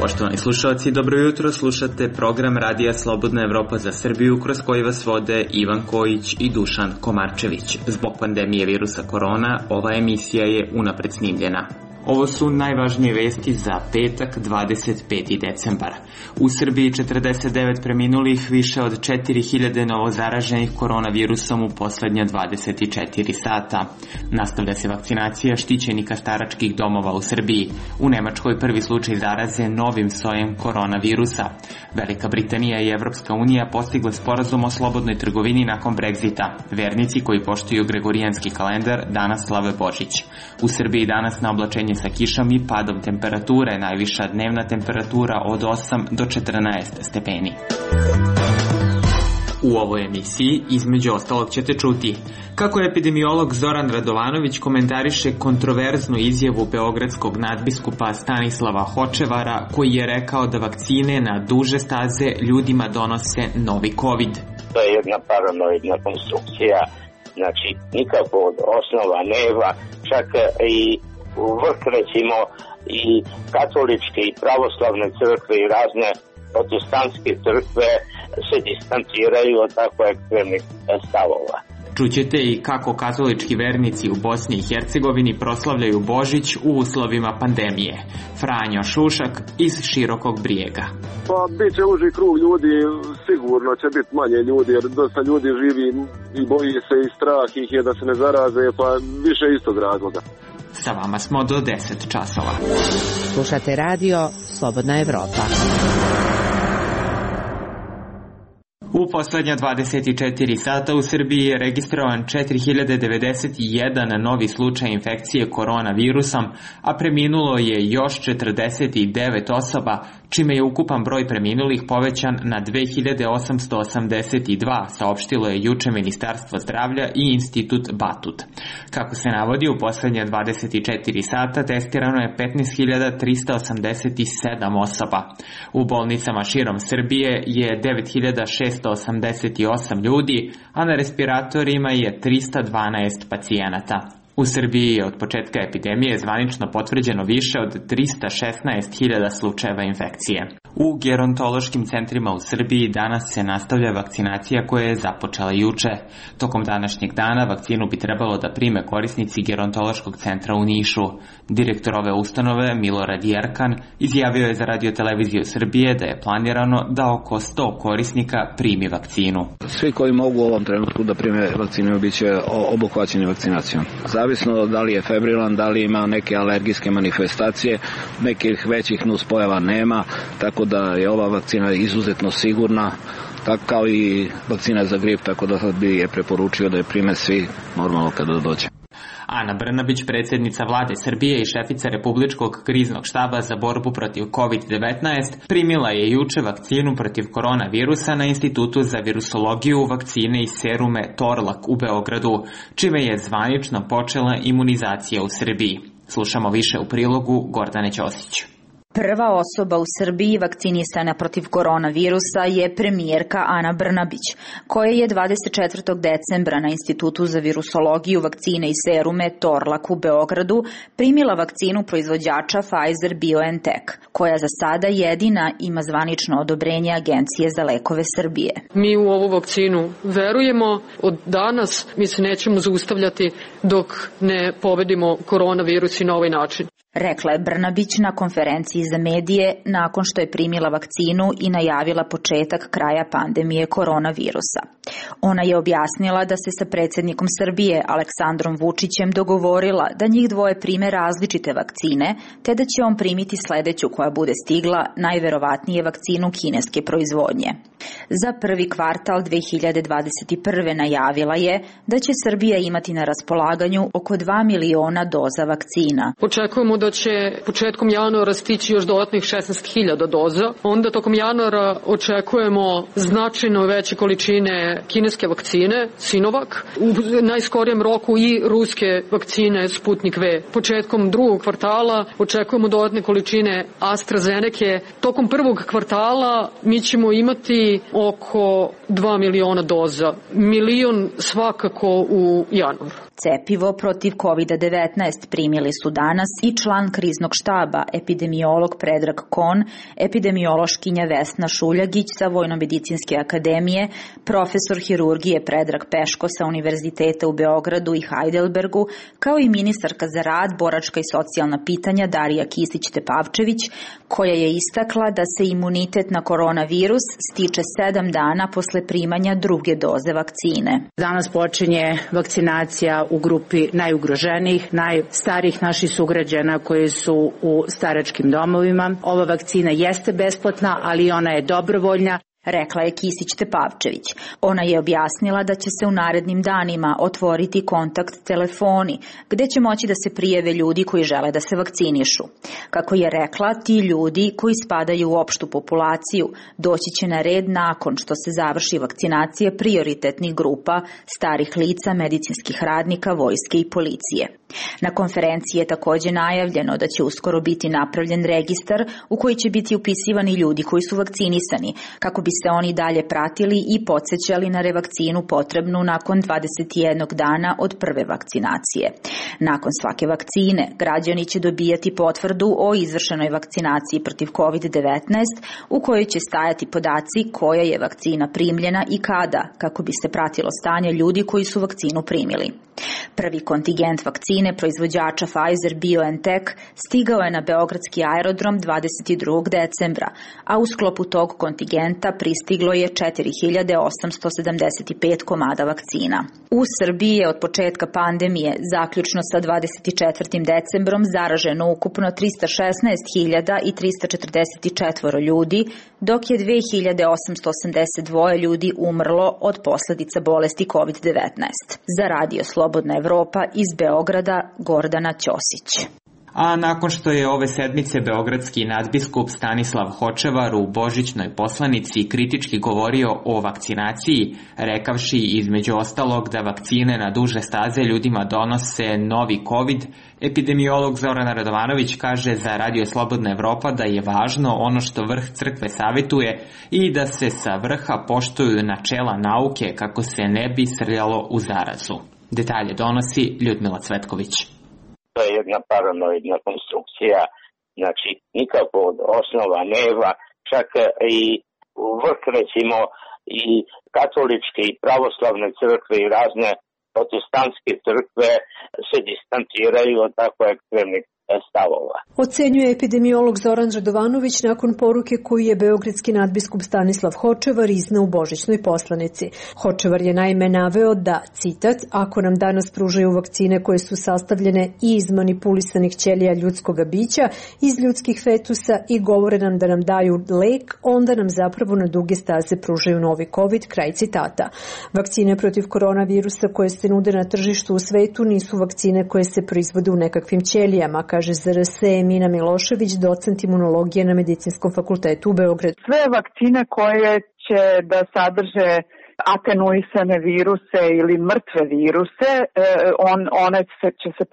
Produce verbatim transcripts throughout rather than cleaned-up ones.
Poštovani slušalci, dobro jutro, slušate program Radija Slobodna Evropa za Srbiju kroz koji vas vode Ivan Kojić i Dušan Komarčević. Zbog pandemije virusa korona, ova emisija je unapred snimljena. Ovo su najvažnije vesti za petak, dvadeset peti decembar. U Srbiji četrdeset devet preminulih, više od četiri hiljade novozaraženih koronavirusom u poslednja dvadeset četiri sata. Nastavlja se vakcinacija štićenika staračkih domova u Srbiji. U Nemačkoj prvi slučaj zaraze novim sojem koronavirusa. Velika Britanija i Evropska unija postigle sporazum o slobodnoj trgovini nakon Brexita. Vernici koji poštuju gregorijanski kalendar danas slave Božić. U Srbiji danas na oblačenje sa kišom i padom temperature, najviša dnevna temperatura od osam do četrnaest stepeni. U ovoj emisiji, između ostalog, ćete čuti kako epidemiolog Zoran Radovanović komentariše kontroverznu izjavu beogradskog nadbiskupa Stanislava Hočevara, koji je rekao da vakcine na duže staze ljudima donose novi COVID. To je jedna paranoidna konstrukcija, znači nikakvog osnova nema, čak i u vrh, recimo, i katoličke i pravoslavne crkve i razne protestantske crkve se distanciraju od tako ekstremnih stavova. Čućete i kako katolički vernici u Bosni i Hercegovini proslavljaju Božić u uslovima pandemije. Franjo Šušak iz Širokog Brijega. Pa bit će uži krug ljudi, sigurno će biti manje ljudi, jer dosta ljudi živi i boji se i strah ih je da se ne zaraze, pa više istog razloga. Sa vama smo do deset časova. Slušate radio Slobodna Evropa. U poslednja dvadeset četiri sata u Srbiji je registrovan četiri hiljade devedeset jedan novi slučaj infekcije koronavirusom, a preminulo je još četrdeset devet osoba, čime je ukupan broj preminulih povećan na dve hiljade osamsto osamdeset dva, saopštilo je juče Ministarstvo zdravlja i Institut Batut. Kako se navodi, u poslednja dvadeset četiri sata testirano je petnaest hiljada trista osamdeset sedam osoba. U bolnicama širom Srbije je devet hiljada šessto osamdeset osam ljudi, a na respiratorima je trista dvanaest pacijenata. U Srbiji je od početka epidemije zvanično potvrđeno više od trista šesnaest hiljada slučajeva infekcije. U gerontološkim centrima u Srbiji danas se nastavlja vakcinacija koja je započela juče. Tokom današnjeg dana vakcinu bi trebalo da prime korisnici gerontološkog centra u Nišu. Direktor ove ustanove, Milorad Jerkan, izjavio je za Radio-televiziju Srbije da je planirano da oko sto korisnika primi vakcinu. Svi koji mogu u ovom trenutku da prime vakcinu bit će obuhvaćeni vakcinacijom. Zavisno da li je febrilan, da li ima neke alergijske manifestacije, nekih većih nuspojava nema, tako da je ova vakcina izuzetno sigurna, tako kao i vakcina za grip, tako da bi je preporučio da je prime svi normalno kada dođe. Ana Brnabić, predsjednica vlade Srbije i šefica Republičkog kriznog štaba za borbu protiv kovid devetnaest, primila je juče vakcinu protiv koronavirusa na Institutu za virusologiju, vakcine i serume Torlak u Beogradu, čime je zvanično počela imunizacija u Srbiji. Slušamo više u prilogu Gordane Ćosić. Prva osoba u Srbiji vakcinisana protiv koronavirusa je premijerka Ana Brnabić, koja je dvadeset četvrtog decembra na Institutu za virusologiju, vakcine i serume Torlak u Beogradu primila vakcinu proizvođača Pfizer-BioNTech, koja za sada jedina ima zvanično odobrenje Agencije za lekove Srbije. Mi u ovu vakcinu verujemo. Od danas mi se nećemo zaustavljati dok ne pobedimo koronavirus i na ovaj način. Rekla je Brnabić na konferenciji za medije nakon što je primila vakcinu i najavila početak kraja pandemije koronavirusa. Ona je objasnila da se sa predsjednikom Srbije Aleksandrom Vučićem dogovorila da njih dvoje prime različite vakcine, te da će on primiti sledeću koja bude stigla, najverovatnije vakcinu kineske proizvodnje. Za prvi kvartal dve hiljade dvadeset prve najavila je da će Srbija imati na raspolaganju oko dva miliona doza vakcina. Očekujemo da će početkom januara stići još dodatnih šesnaest hiljada doza. Onda tokom januara očekujemo značajno veće količine kineske vakcine Sinovac, u najskorijem roku i ruske vakcine Sputnik V. Početkom drugog kvartala očekujemo dodatne količine AstraZeneke. Tokom prvog kvartala mi ćemo imati oko dva miliona doza. Milion svakako u januaru. Cepivo protiv kovid devetnaest primili su danas i član kriznog štaba, epidemiolog Predrag Kon, epidemiološkinja Vesna Šuljagić sa Vojnomedicinske akademije, profesor hirurgije Predrag Peško sa Univerziteta u Beogradu i Heidelbergu, kao i ministarka za rad, boračka i socijalna pitanja Darija Kisić-Tepavčević, koja je istakla da se imunitet na koronavirus stiče sedam dana posle primanja druge doze vakcine. Danas počinje vakcinacija u grupi najugroženijih, najstarijih naših sugrađana koji su u staračkim domovima. Ova vakcina jeste besplatna, ali ona je dobrovoljna, rekla je Kisić-Tepavčević. Ona je objasnila da će se u narednim danima otvoriti kontakt telefoni, gde će moći da se prijave ljudi koji žele da se vakcinišu. Kako je rekla, ti ljudi koji spadaju u opštu populaciju doći će na red nakon što se završi vakcinacija prioritetnih grupa, starih lica, medicinskih radnika, vojske i policije. Na konferenciji je takođe najavljeno da će uskoro biti napravljen registar u koji će biti upisivani ljudi koji su vakcinisani, kako bi se oni dalje pratili i podsećali na revakcinu potrebnu nakon dvadeset jednog dana od prve vakcinacije. Nakon svake vakcine, građani će dobijati potvrdu o izvršenoj vakcinaciji protiv kovid devetnaest u kojoj će stajati podaci koja je vakcina primljena i kada, kako bi se pratilo stanje ljudi koji su vakcinu primili. Prvi kontingent vakcine proizvođača Pfizer-BioNTech stigao je na beogradski aerodrom dvadeset drugog decembra, a u sklopu tog kontingenta pristiglo je četiri hiljade osamsto sedamdeset pet komada vakcina. U Srbiji je od početka pandemije, zaključno sa dvadeset četvrtim decembrom, zaraženo ukupno trista šesnaest hiljada trista četrdeset četiri ljudi, dok je dve hiljade osamsto osamdeset dva ljudi umrlo od posledica bolesti kovid devetnaest. Za Radio Slobodna Evropa iz Beograda, Gordana Ćosić. A nakon što je ove sedmice beogradski nadbiskup Stanislav Hočevar u božićnoj poslanici kritički govorio o vakcinaciji, rekavši između ostalog da vakcine na duže staze ljudima donose novi COVID, epidemiolog Zoran Radovanović kaže za Radio Slobodna Evropa da je važno ono što vrh crkve savetuje i da se sa vrha poštuju načela nauke kako se ne bi srljalo u zarazu. Detalje donosi Ljudmila Cvetković. To je jedna paranoidna konstrukcija, znači nikakvog osnova nema, čak i u vrh recimo i katoličke i pravoslavne crkve i razne protestantske crkve se distanciraju od tako ekstremnih stavova. Ocenjuje epidemiolog Zoran Radovanović nakon poruke koju je beogradski nadbiskup Stanislav Hočevar izneo u božićnoj poslanici. Hočevar je naime naveo da, citat, ako nam danas pružaju vakcine koje su sastavljene i iz manipulisanih ćelija ljudskoga bića, iz ljudskih fetusa i govore nam da nam daju lek, onda nam zapravo na duge staze pružaju novi COVID, kraj citata. Vakcine protiv koronavirusa koje se nude na tržištu u svetu nisu vakcine koje se proizvode u nekakvim ćelijama, kaže Z R S Emina Milošević, docent imunologije na Medicinskom fakultetu u Beogradu. Sve vakcine koje će da sadrže atenuisane viruse ili mrtve viruse, on, one će se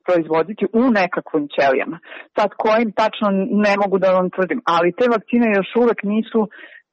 proizvoditi u nekakvim ćelijama. Sad kojim tačno ne mogu da vam tvrdim, ali te vakcine još uvek nisu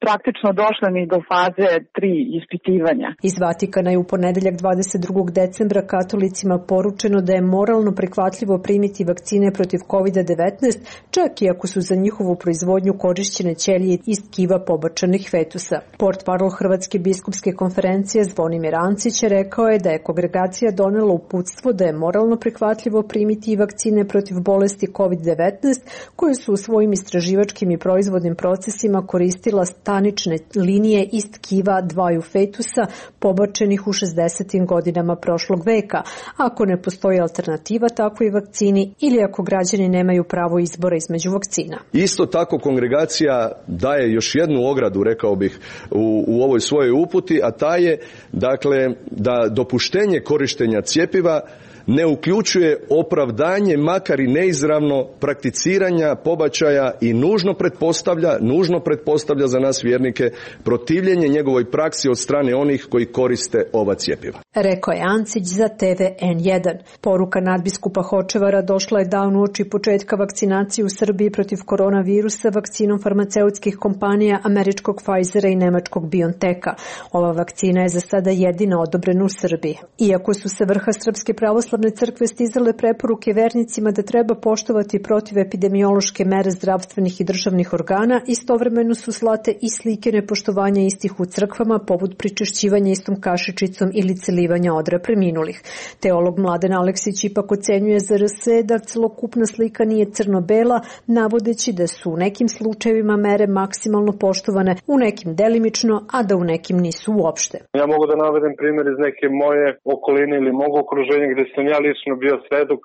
praktično došla ni do faze tri ispitivanja. Iz Vatikana je u ponedeljak dvadeset drugog decembra katolicima poručeno da je moralno prihvatljivo primiti vakcine protiv kovid devetnaest, čak i ako su za njihovu proizvodnju korišćene ćelije iz tkiva pobačanih fetusa. Portparol Hrvatske biskupske konferencije Zvonimir Ancić rekao je da je kongregacija donela uputstvo da je moralno prihvatljivo primiti i vakcine protiv bolesti kovid devetnaest, koje su u svojim istraživačkim i proizvodnim procesima koristila stanične linije iz tkiva dvaju fetusa pobačenih u šezdesetim godinama prošlog veka, ako ne postoji alternativa takvoj vakcini ili ako građani nemaju pravo izbora između vakcina. Isto tako kongregacija daje još jednu ogradu, rekao bih, u, u ovoj svojoj uputi, a ta je dakle da dopuštenje korištenja cjepiva ne uključuje opravdanje, makar i neizravno, prakticiranja pobačaja i nužno pretpostavlja, nužno pretpostavlja za nas vjernike protivljenje njegovoj praksi od strane onih koji koriste ova cjepiva. Rekao je Ancić za T V N jedan. Poruka nadbiskupa Hočevara došla je dan uoči početka vakcinacije u Srbiji protiv koronavirusa vakcinom farmaceutskih kompanija američkog Pfizera i nemačkog BioNTecha. Ova vakcina je za sada jedina odobrena u Srbiji. Iako su sa vrha Srpske pravoslavne crkve stizale preporuke vernicima da treba poštovati protivepidemiološke mere zdravstvenih i državnih organa, istovremeno su slate i slike nepoštovanja istih u crkvama, poput pričešćivanja istom kašičicom ili celivanja odra preminulih. Teolog Mladen Aleksić ipak ocenjuje za R S da celokupna slika nije crno-bela, navodeći da su u nekim slučajevima mere maksimalno poštovane, u nekim delimično, a da u nekim nisu uopšte. Ja mogu da navedem primjer iz neke moje okoline ili mog okruženja gdje sam ja lično bio svedok,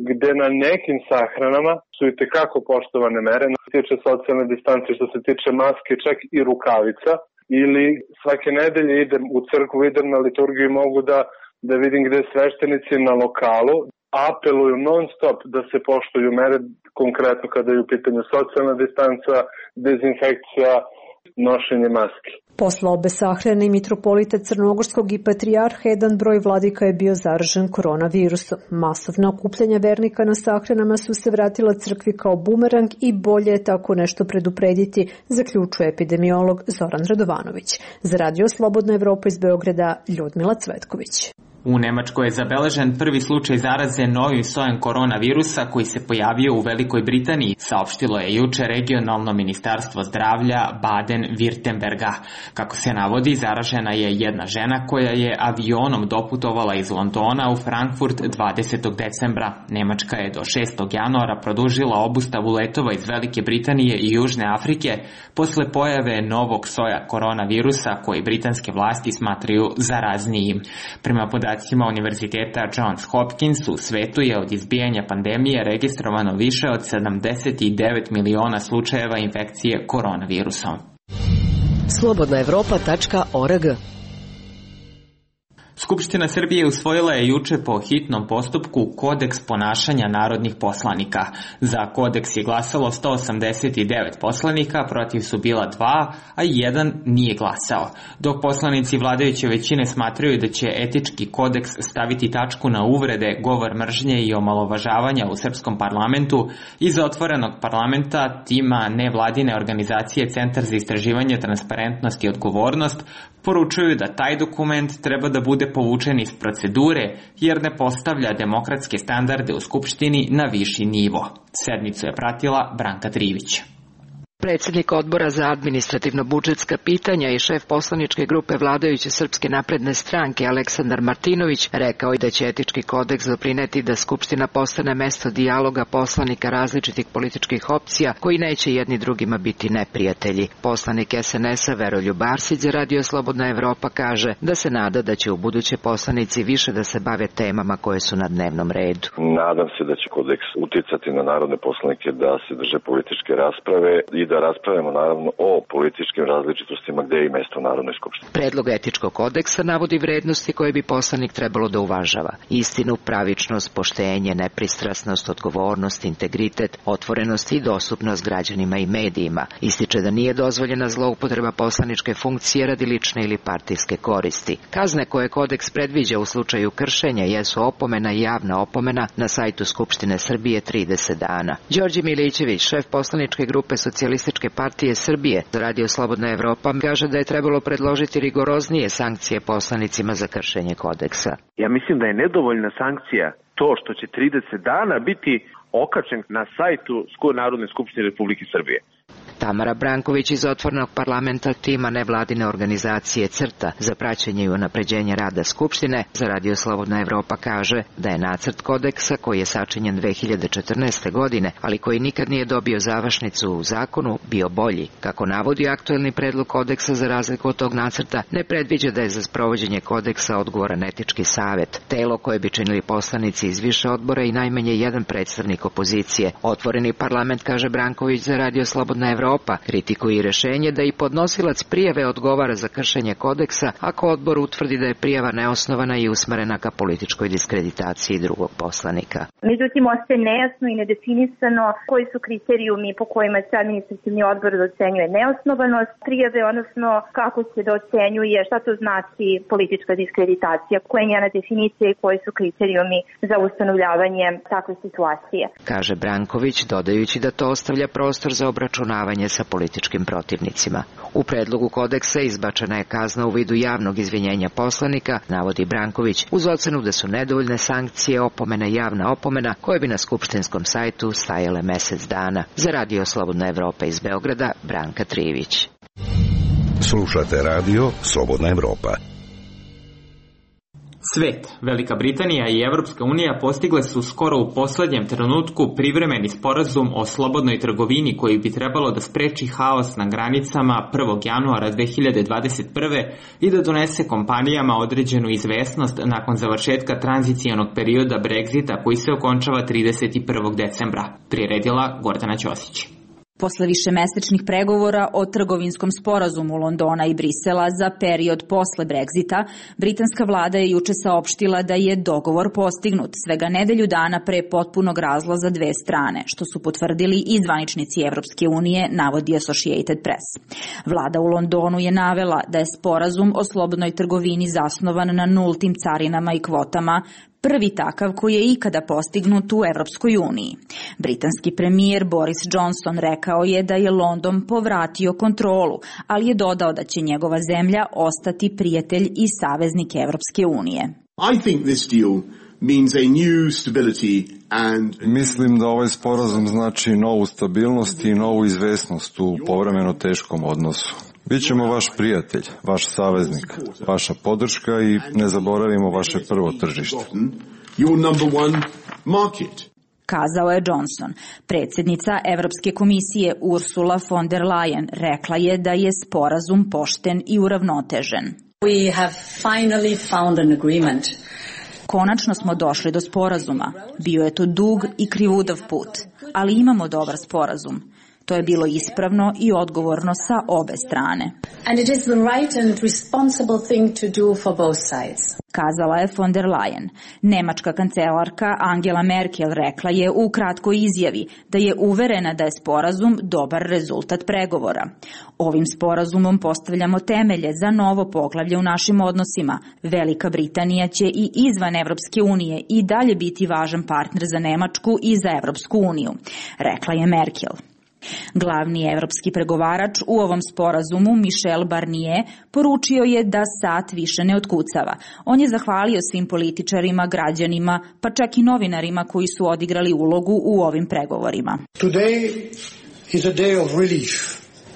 gde na nekim sahranama su i tekako poštovane mere, što se tiče socijalne distance, što se tiče maske, čak i rukavica, ili svake nedelje idem u crkvu, idem na liturgiju i mogu da, da vidim gde sveštenici na lokalu apeluju non stop da se poštuju mere, konkretno kada je u pitanju socijalna distanca, dezinfekcija, nošenje maske. Posle obe sahrane i mitropolita Crnogorskog i patrijarha, jedan broj vladika je bio zaražen koronavirusom. Masovna okupljanja vernika na sahranama su se vratila crkvi kao bumerang i bolje je tako nešto preduprediti, zaključuje epidemiolog Zoran Radovanović. Za Radio Slobodna Evropa iz Beograda, Ljudmila Cvetković. U Nemačkoj je zabeležen prvi slučaj zaraze novim sojem koronavirusa koji se pojavio u Velikoj Britaniji, saopštilo je juče regionalno ministarstvo zdravlja Baden-Württemberga. Kako se navodi, zaražena je jedna žena koja je avionom doputovala iz Londona u Frankfurt dvadesetog decembra. Nemačka je do šestog januara produžila obustavu letova iz Velike Britanije i Južne Afrike posle pojave novog soja koronavirusa koji britanske vlasti smatraju zaraznijim. Prema podacima Univerziteta Johns Hopkins, u svetu je od izbijanja pandemije registrovano više od sedamdeset devet miliona slučajeva infekcije koronavirusom. slobodna evropa tačka org. Skupština Srbije usvojila je juče po hitnom postupku kodeks ponašanja narodnih poslanika. Za kodeks je glasalo sto osamdeset devet poslanika, protiv su bila dva, a jedan nije glasao. Dok poslanici vladajuće većine smatraju da će etički kodeks staviti tačku na uvrede, govor mržnje i omalovažavanja u srpskom parlamentu, iz otvorenog parlamenta tima nevladine organizacije Centar za istraživanje, transparentnost i odgovornost poručuju da taj dokument treba da bude povučen iz procedure jer ne postavlja demokratske standarde u Skupštini na viši nivo. Sednicu je pratila Branka Trivić. Predsjednik odbora za administrativno-budžetska pitanja i šef poslaničke grupe vladajuće Srpske napredne stranke Aleksandar Martinović rekao je da će etički kodeks doprineti da Skupština postane mesto dijaloga poslanika različitih političkih opcija koji neće jedni drugima biti neprijatelji. Poslanik S N S-a Veroljub Arsić za Radio Slobodna Evropa kaže da se nada da će u buduće poslanici više da se bave temama koje su na dnevnom redu. Nadam se da će kodeks uticati na narodne poslanike da se drže političke rasprave i da raspravljamo naravno o političkim različitostima gde je i mesto Narodnoj skupštini. Predlog etičkog kodeksa navodi vrednosti koje bi poslanik trebalo da uvažava. Istinu, pravičnost, poštenje, nepristrasnost, odgovornost, integritet, otvorenost i dostupnost građanima i medijima. Ističe da nije dozvoljena zloupotreba poslaničke funkcije radi lične ili partijske koristi. Kazne koje kodeks predviđa u slučaju kršenja jesu opomena i javna opomena na sajtu Skupštine Srbije trideset dana. Đorđe Milićević, šef poslaničke grupe Socijalističke partije Srbije za Radio Slobodna Evropa, kaže da je trebalo predložiti rigoroznije sankcije poslanicima za kršenje kodeksa. Ja mislim da je nedovoljna sankcija to što će trideset dana biti okačen na sajtu Narodne skupštine Republike Srbije. Tamara Branković iz otvorenog parlamenta tima nevladine organizacije CRTA za praćenje i unapređenje rada Skupštine za Radio Slobodna Evropa kaže da je nacrt kodeksa koji je sačinjen dve hiljade četrnaeste. godine, ali koji nikad nije dobio završnicu u zakonu, bio bolji. Kako navodi aktuelni predlog kodeksa, za razliku od tog nacrta, ne predviđa da je za sprovođenje kodeksa odgovoran etički savet, telo koje bi činili poslanici iz više odbora i najmanje jedan predstavnik opozicije. Otvoreni parlament, kaže Branković za Radio Slobodna Evropa, Evropa kritikuje rešenje da i podnosilac prijave odgovara za kršenje kodeksa ako odbor utvrdi da je prijava neosnovana i usmerena ka političkoj diskreditaciji drugog poslanika. Međutim, ostaje nejasno i nedefinisano koji su kriterijumi po kojima se administrativni odbor ocenjuje neosnovanost prijave, odnosno kako se ocenjuje, šta to znači politička diskreditacija, koja je njena definicija i koji su kriterijumi za ustanovljavanje takve situacije. Kaže Branković, dodajući da to ostavlja prostor za obračunavanje sa političkim protivnicima. U predlogu kodeksa izbačena je kazna u vidu javnog izvinjenja poslanika, navodi Branković, uz ocenu da su nedovoljne sankcije, opomene, javna opomena, koje bi na skupštinskom sajtu stajale mesec dana. Za Radio Slobodna Evropa iz Beograda, Branka Trivić. Slušate radio Slobodna Evropa. Svet, Velika Britanija i Evropska unija postigle su skoro u poslednjem trenutku privremeni sporazum o slobodnoj trgovini koji bi trebalo da spreči haos na granicama prvog januara dve hiljade dvadeset prve i da donese kompanijama određenu izvesnost nakon završetka tranzicijonog perioda Brexita koji se okončava trideset prvog decembra, priredila Gordana Ćosić. Posle višemesečnih pregovora o trgovinskom sporazumu Londona i Brisela za period posle Brexita, britanska vlada je juče saopštila da je dogovor postignut svega nedelju dana pre potpunog razlaza dve strane, što su potvrdili i zvaničnici Evropske unije, navodi Associated Press. Vlada u Londonu je navela da je sporazum o slobodnoj trgovini zasnovan na nultim carinama i kvotama, prvi takav koji je ikada postignut u Evropskoj uniji. Britanski premijer Boris Johnson rekao je da je London povratio kontrolu, ali je dodao da će njegova zemlja ostati prijatelj i saveznik Evropske unije. I think this deal means a new stability and... Mislim da ovaj sporazum znači novu stabilnost i novu izvesnost u povremeno teškom odnosu. Bićemo vaš prijatelj, vaš saveznik, vaša podrška i ne zaboravimo vaše prvo tržište. Kazao je Johnson. Predsjednica Evropske komisije Ursula von der Leyen rekla je da je sporazum pošten i uravnotežen. We have finally found an agreement. Konačno smo došli do sporazuma. Bio je to dug i krivudav put, ali imamo dobar sporazum. To je bilo ispravno i odgovorno sa obe strane. And it is the right and responsible thing to do for both sides. Kazala je von der Leyen. Nemačka kancelarka Angela Merkel rekla je u kratkoj izjavi da je uverena da je sporazum dobar rezultat pregovora. Ovim sporazumom postavljamo temelje za novo poglavlje u našim odnosima. Velika Britanija će i izvan Evropske unije i dalje biti važan partner za Nemačku i za Evropsku uniju, rekla je Merkel. Glavni evropski pregovarač u ovom sporazumu, Michel Barnier, poručio je da sat više ne otkucava. On je zahvalio svim političarima, građanima, pa čak i novinarima koji su odigrali ulogu u ovim pregovorima. Today is a day of relief.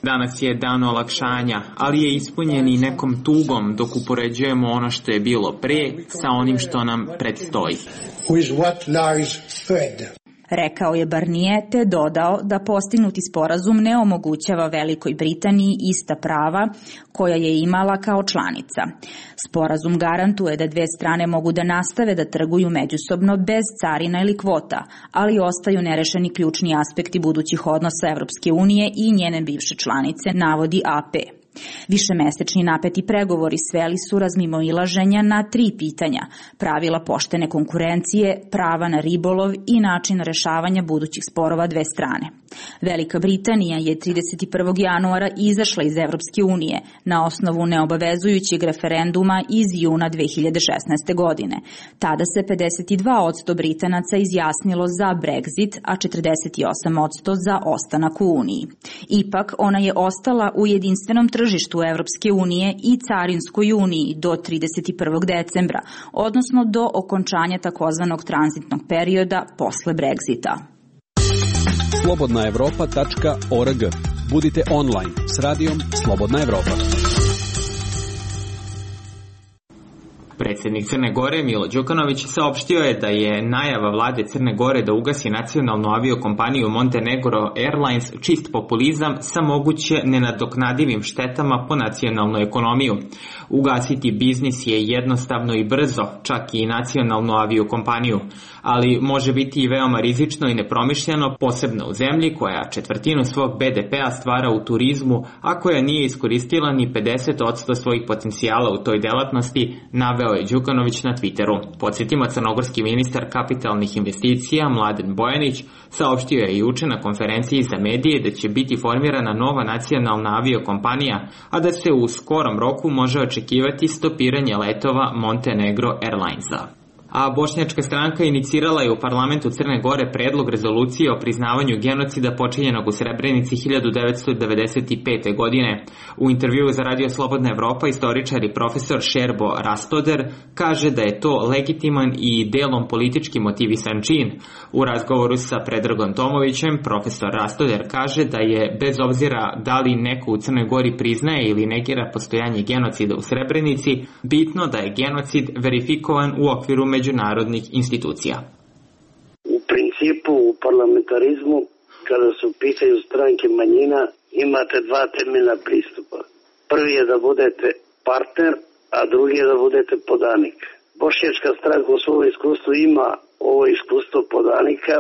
Danas je dan olakšanja, ali je ispunjen i nekom tugom dok upoređujemo ono što je bilo pre sa onim što nam predstoji. With what lies ahead. Rekao je Barnier te dodao da postignuti sporazum ne omogućava Velikoj Britaniji ista prava koja je imala kao članica. Sporazum garantuje da dve strane mogu da nastave da trguju međusobno bez carina ili kvota, ali ostaju nerešeni ključni aspekti budućih odnosa Evropske unije i njene bivše članice, navodi A P. Višemesečni napeti pregovori sveli su razmimoilaženja na tri pitanja: pravila poštene konkurencije, prava na ribolov i način rešavanja budućih sporova dve strane. Velika Britanija je trideset prvog januara izašla iz Evropske unije na osnovu neobavezujućeg referenduma iz juna dve hiljade šesnaeste. godine. Tada se pedeset dva posto Britanaca izjasnilo za Brexit, a četrdeset osam posto za ostanak u Uniji. Ipak, ona je ostala u jedinstvenom tržištu Evropske unije i Carinskoj uniji do trideset prvog decembra, odnosno do okončanja takozvanog tranzitnog perioda posle Brexita. slobodna evropa tačka org. Budite online s radijom Slobodna Evropa. Predsjednik Crne Gore Milo Đukanović saopštio je da je najava vlade Crne Gore da ugasi nacionalnu aviokompaniju Montenegro Airlines čist populizam sa moguće nenadoknadivim štetama po nacionalnu ekonomiju. Ugasiti biznis je jednostavno i brzo, čak i nacionalnu aviokompaniju, ali može biti i veoma rizično i nepromišljeno, posebno u zemlji koja četvrtinu svog be de pea stvara u turizmu, a koja nije iskoristila ni pedeset posto svojih potencijala u toj delatnosti, naveo je Đukanović na Twitteru. Podsjetimo, crnogorski ministar kapitalnih investicija Mladen Bojanić saopštio je juče na konferenciji za medije da će biti formirana nova nacionalna aviokompanija, a da se u skorom roku može očekivati stopiranje letova Montenegro Airlinesa. A bošnjačka stranka inicirala je u parlamentu Crne Gore predlog rezolucije o priznavanju genocida počinjenog u Srebrenici hiljadu devetsto devedeset pete. godine. U intervjuu za Radio Slobodna Evropa istoričar i profesor Šerbo Rastoder kaže da je to legitiman i delom politički motivisan čin. U razgovoru sa Predragom Tomovićem profesor Rastoder kaže da je, bez obzira da li neko u Crnoj Gori priznaje ili negira postojanje genocida u Srebrenici, bitno da je genocid verifikovan u okviru međunarodnih institucija. U principu u parlamentarizmu, kada su u pitanju stranke manjina, imate dva temeljna pristupa. Prvi je da budete partner, a drugi je da budete podanik. Bošnjačka stranka u svom iskustvu ima ovo iskustvo podanika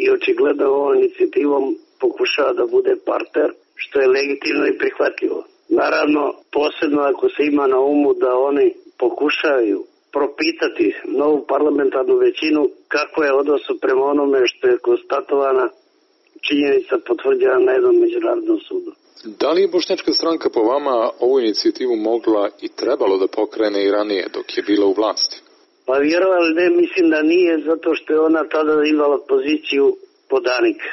i očigledno ovom inicijativom pokušava da bude partner, što je legitimno i prihvatljivo. Naravno, posebno ako se ima na umu da oni pokušavaju propitati novu parlamentarnu većinu kako je odnos prema onome što je konstatovana činjenica potvrđena na jednom međunarodnom sudu. Da li je bošnjačka stranka po vama ovu inicijativu mogla i trebalo da pokrene i ranije dok je bila u vlasti? Pa vjerovali ne, mislim da nije, zato što je ona tada imala poziciju podanika.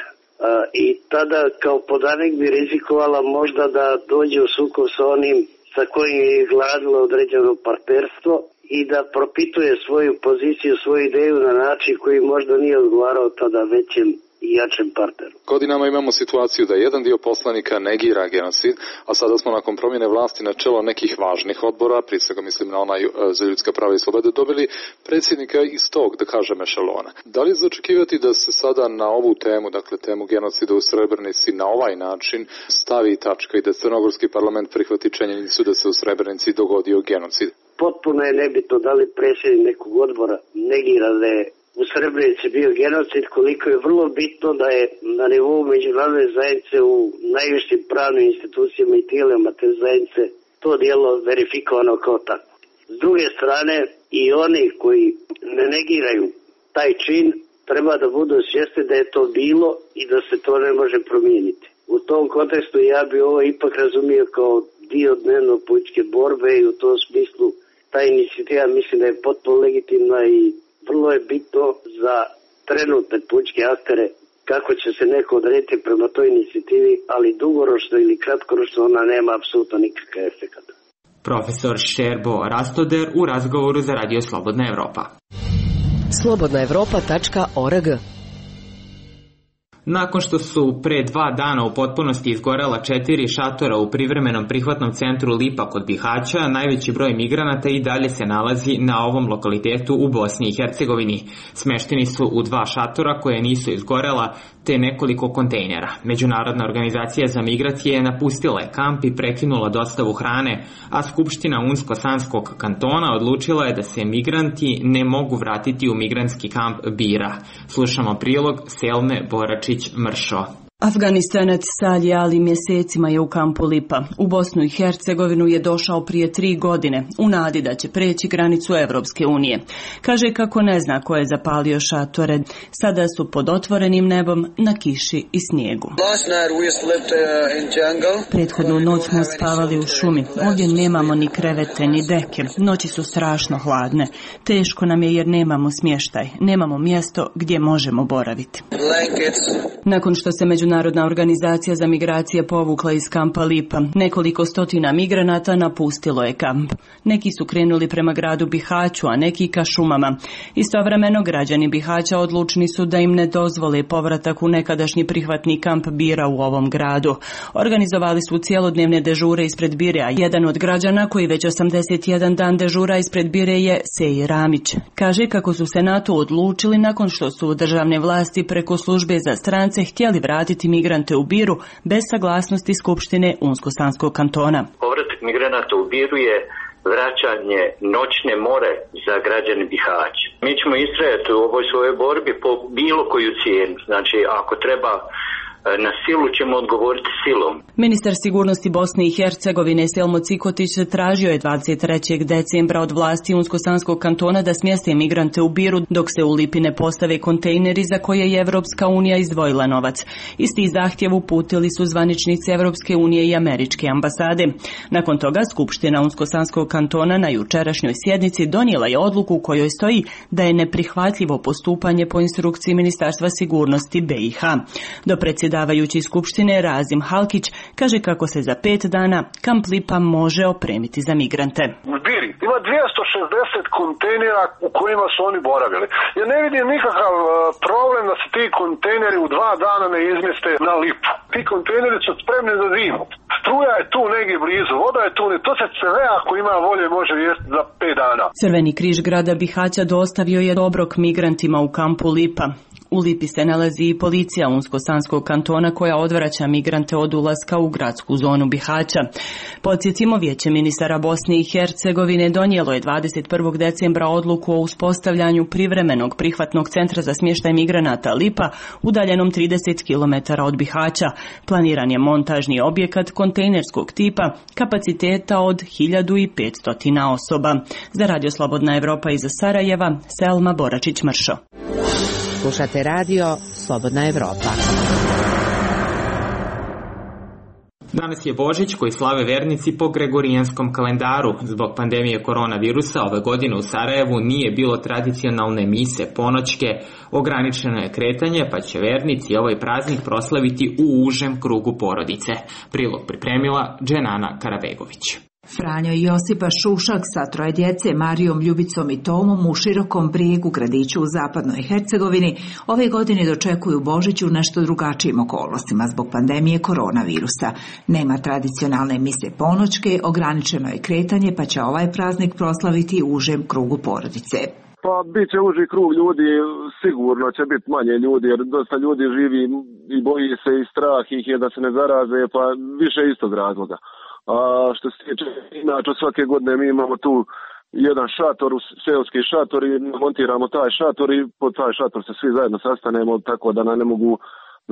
I tada kao podanik bi rizikovala možda da dođe u sukob sa onim sa kojim je gradilo određeno partnerstvo i da propituje svoju poziciju, svoju ideju na način koji možda nije odgovarao tada većem i jačem partneru. Godinama imamo situaciju da jedan dio poslanika negira genocid, a sada smo nakon promjene vlasti na čelo nekih važnih odbora, prije svega mislim na onaj za ljudska prava i slobode, dobili predsjednika iz tog, da kažem, ešelona. Da li je za očekivati da se sada na ovu temu, dakle temu genocida u Srebrenici, na ovaj način stavi tačka i da crnogorski parlament prihvati činjenicu da se u Srebrenici dogodio genocid? Potpuno je nebitno da li predsjednik nekog odbora negira da je u Srebrenici bio genocid, koliko je vrlo bitno da je na nivou međunarodne zajednice u najvišim pravnim institucijama i tijelima te zajednice to djelo verifikovano kao tako. S druge strane, i oni koji ne negiraju taj čin treba da budu svjesni da je to bilo i da se to ne može promijeniti. U tom kontekstu ja bi ovo ipak razumio kao dio dnevno političke borbe i u tom smislu ta inicijativa mislim da je potpuno legitimna i vrlo je bitno za trenutne političke aktere kako će se neko odrediti prema toj inicijativi, ali dugoročno ili kratkoročno ona nema apsolutno nikakav efekt. Profesor Šerbo Rastoder u razgovoru za Radio Slobodna Evropa. slobodna evropa tačka org. Nakon što su pre dva dana u potpunosti izgorela četiri šatora u privremenom prihvatnom centru Lipa kod Bihaća, najveći broj migranata i dalje se nalazi na ovom lokalitetu u Bosni i Hercegovini. Smešteni su u dva šatora koje nisu izgorela, te nekoliko kontejnera. Međunarodna organizacija za migracije je napustila je kamp i prekinula dostavu hrane, a Skupština Unsko-Sanskog kantona odlučila je da se migranti ne mogu vratiti u migrantski kamp Bira. Slušamo prilog Selme Boračić-Mršo. Afganistanac Salih Ali mjesecima je u kampu Lipa. U Bosnu i Hercegovinu je došao prije tri godine, u nadi da će preći granicu Evropske unije. Kaže kako ne zna ko je zapalio šatore. Sada su pod otvorenim nebom na kiši i snijegu. Prethodnu noć smo spavali u šumi. Ovdje nemamo ni krevete ni deke. Noći su strašno hladne. Teško nam je jer nemamo smještaj. Nemamo mjesto gdje možemo boraviti. Nakon što se međunarodna Međunarodna organizacija za migracije povukla iz kampa Lipa. Nekoliko stotina migranata napustilo je kamp. Neki su krenuli prema gradu Bihaću, a neki ka šumama. Istovremeno građani Bihaća odlučni su da im ne dozvole povratak u nekadašnji prihvatni kamp Bira u ovom gradu. Organizovali su cijelodnevne dežure ispred Bire, a jedan od građana koji već osamdeset jedan dan dežura ispred Bire je Seji Ramić. Kaže kako su se na to odlučili nakon što su državne vlasti preko službe za strance htjeli vratiti migrante u Biru bez saglasnosti Skupštine Unsko-Sanskog kantona. Povratak migranata u Biru je vraćanje noćne more za građane Bihaća. Mi ćemo istrajati u ovoj svojoj borbi po bilo koju cijenu. Znači, ako treba na silu, ćemo odgovoriti silom. Ministar sigurnosti Bosne i Hercegovine Selmo Cikotić tražio je dvadeset trećeg decembra od vlasti Unsko-Sanskog kantona da smjeste migrante u Biru dok se u Lipi ne postave kontejneri za koje je Evropska unija izdvojila novac. Isti zahtjev uputili su zvaničnici Evropske unije i američke ambasade. Nakon toga Skupština Unsko-Sanskog kantona na jučerašnjoj sjednici donijela je odluku u kojoj stoji da je neprihvatljivo postupanje po instrukciji Ministarstva sigurnosti B i H. Do predsjedavajući Skupštine Razim Halkić kaže kako se za pet dana kamp Lipa može opremiti za migrante. U Biri ima dvjesto šezdeset kontejnera u kojima su oni boravili. Ja ne vidim nikakav problem da se ti kontejneri u dva dana ne izmjeste na Lipu. Ti kontejneri su spremni za zimu. Struja je tu negdje blizu, voda je tu, to se sve ako ima volje može riješiti za pet dana. Crveni križ grada Bihaća dostavio je obrok migrantima u kampu Lipa. U Lipi se nalazi i policija Unsko-Sanskog kantona koja odvraća migrante od ulaska u gradsku zonu Bihaća. Podsjetimo, Vijeće ministara Bosne i Hercegovine donijelo je dvadeset prvog decembra odluku o uspostavljanju privremenog prihvatnog centra za smještaj migranata Lipa, udaljenom trideset kilometara od Bihaća. Planiran je montažni objekat kontejnerskog tipa, kapaciteta od hiljadu petsto osoba. Za Radio Slobodna Evropa iz Sarajeva, Selma Boračić-Mršo. Slušate radio Slobodna Evropa. Danas je Božić koji slave vernici po gregorijanskom kalendaru. Zbog pandemije koronavirusa ove godine u Sarajevu nije bilo tradicionalne mise ponoćke, ograničeno je kretanje, pa će vernici ovaj praznik proslaviti u užem krugu porodice. Prilog pripremila Dženana Karabegović. Franjo i Josipa Šušak sa troje djece, Marijom, Ljubicom i Tomom u Širokom Brijegu, gradiću u zapadnoj Hercegovini, ove godine dočekuju Božić u nešto drugačijim okolnostima zbog pandemije koronavirusa. Nema tradicionalne mise ponoćke, ograničeno je kretanje, pa će ovaj praznik proslaviti u užem krugu porodice. Pa bit će uži krug ljudi, sigurno će biti manje ljudi, jer dosta ljudi živi i boji se i strah ih je da se ne zaraze, pa više istog razloga. A što se tiče, inače svake godine mi imamo tu jedan šator, seoski šator i montiramo taj šator i pod taj šator se svi zajedno sastanemo, tako da nam ne mogu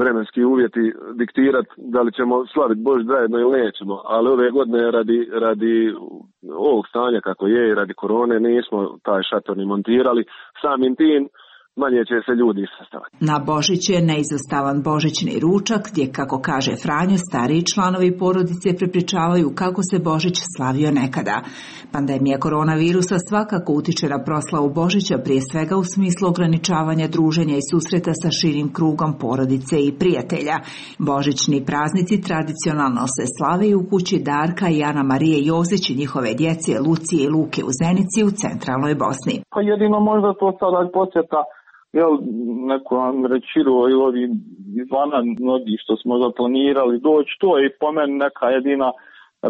vremenski uvjeti diktirati da li ćemo slaviti Božić zajedno ili nećemo. Ali ove godine radi, radi ovog stanja kako je i radi korone nismo taj šator ni montirali. Samim tim manje će se ljudi sastavati. Na Božić je neizostavan božićni ručak gdje, kako kaže Franjo, stariji članovi porodice prepričavaju kako se Božić slavio nekada. Pandemija koronavirusa svakako utiče na proslavu Božića, prije svega u smislu ograničavanja druženja i susreta sa širim krugom porodice i prijatelja. Božićni praznici tradicionalno se slave i u kući Darka i Ana Marije Jozić i njihove djece Lucije i Luke u Zenici u centralnoj Bosni. Pa jedino možda to sada posjeta jel, neko vam rečiro i ovi izvana mnogi što smo zaplanirali doći, to je po meni neka jedina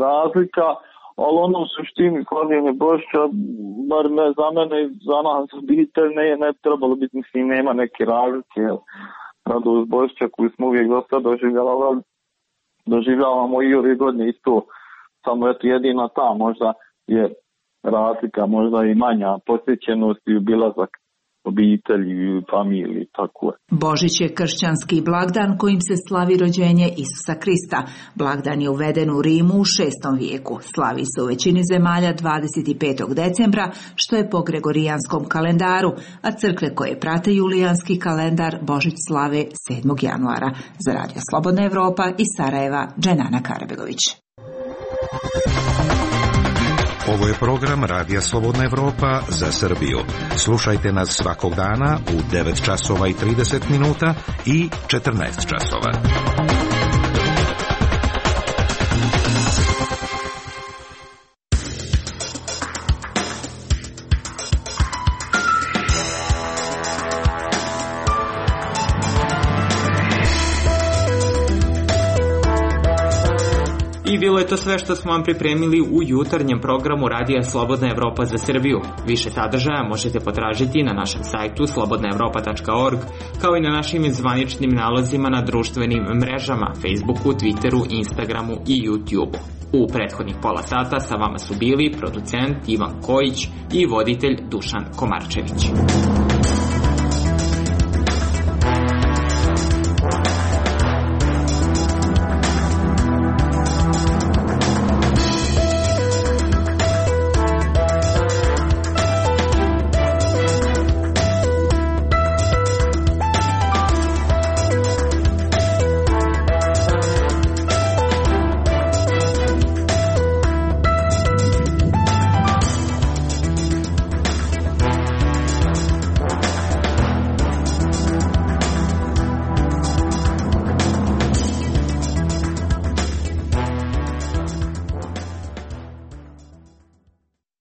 razlika, ali ono u suštini slavljenje Božića, bar ne za mene i za nas obitelj, ne, ne trebalo biti, mislim, nema neke razlike, jel, radost Božića koju smo uvijek dosta doživljavali, doživljavamo i ove godine isto, samo eto jedina ta možda je razlika, možda i manja posjećenost i obilazak obitelji, familiji, tako je. Božić je kršćanski blagdan kojim se slavi rođenje Isusa Krista. Blagdan je uveden u Rimu u šestom vijeku. Slavi se u većini zemalja dvadeset petog decembra, što je po gregorijanskom kalendaru, a crkve koje prate julijanski kalendar Božić slave sedmog januara. Za Radio Slobodna Evropa iz Sarajeva, Dženana Karabegović. Ovo je program Radija Slobodna Evropa za Srbiju. Slušajte nas svakog dana u devet časova i trideset minuta i četrnaest časova. bilo je to sve što smo vam pripremili u jutarnjem programu Radija Slobodna Evropa za Srbiju. Više sadržaja možete potražiti na našem sajtu slobodna evropa tačka org, kao i na našim zvaničnim nalozima na društvenim mrežama, Facebooku, Twitteru, Instagramu i YouTubeu. U prethodnih pola sata sa vama su bili producent Ivan Kojić i voditelj Dušan Komarčević.